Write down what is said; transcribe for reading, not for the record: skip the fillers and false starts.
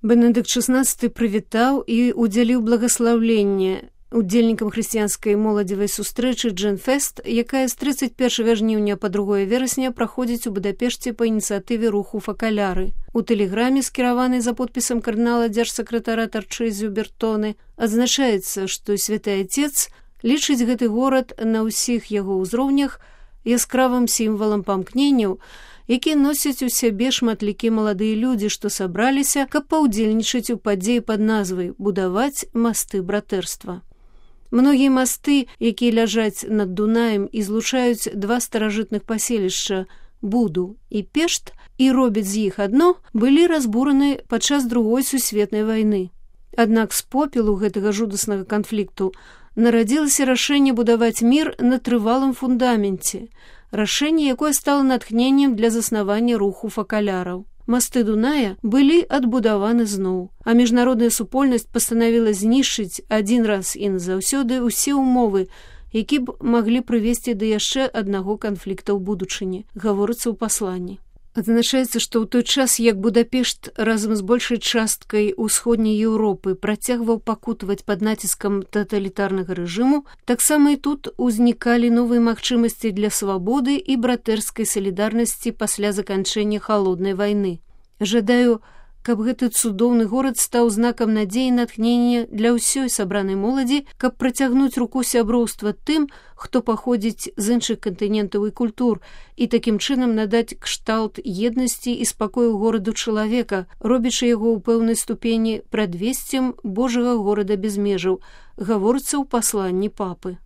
Бенедыкт XVI прывітаў і удзяліў благаслаўленне удзельнікам хрысціянскай моладзевай сустрэчы Дженфест, якая з 31 жніўня па 2 верасня праходзіць у Будапешце па ініцыятыве руху Факаляры. У тэлеграме, скіраванай за подпісам кардынала дзяржсакратара Тарчызіо Бертоне, адзначаецца, што Святы Отец лічыць гэты горад на ўсіх яго ўзроўнях яскравым сімвалам памкненняў, які носяць у сябе шматлікія маладыя людзі, што сабраліся, каб паўдзельнічаць у падзеі пад назвай «Будаваць масты братэрства». Многія масты, якія ляжаць над Дунаем і злучаюць два старажытных паселішча Буду і Пешт і робяць з іх адно, былі разбураны падчас Другой сусветнай вайны. Аднак з попелу гэтага жудаснага канфлікту нарадзілася рашэнне будаваць мір на трывалым фундаменце, рашэнне, якое стало натхненнем для заснавання руху факаляраў. Масты Дуная былі адбудаваны зноў, а міжнародная супольнасць пастанавіла знішчыць адзін раз і назаўсёды ўсе ўмовы, які б маглі прывесці да яшчэ аднаго канфлікта ў будучыні, гаворыцца ў пасланні. Адзначаецца, што ў той час, як Будапешт разам з большай часткай усходняй Еўропы працягваў пакутаваць пад націскам таталітарнага рэжыму, таксама і тут узнікалі новыя магчымасці для свабоды і братэрскай салідарнасці пасля заканчэння халоднай вайны. Жадаю, каб гэты цудоўны горад стаў знакам надзеі і натхнення для ўсёй сабранай моладзі, каб працягнуць руку сяброўства тым, хто паходзіць з іншых кантынентаў і культур, і такім чынам надаць кшталт еднасці і спакою гораду чалавека, робячы яго ў пэўнай ступені прадвесцем Божага горада без межаў, гаворыцца ў пасланні папы.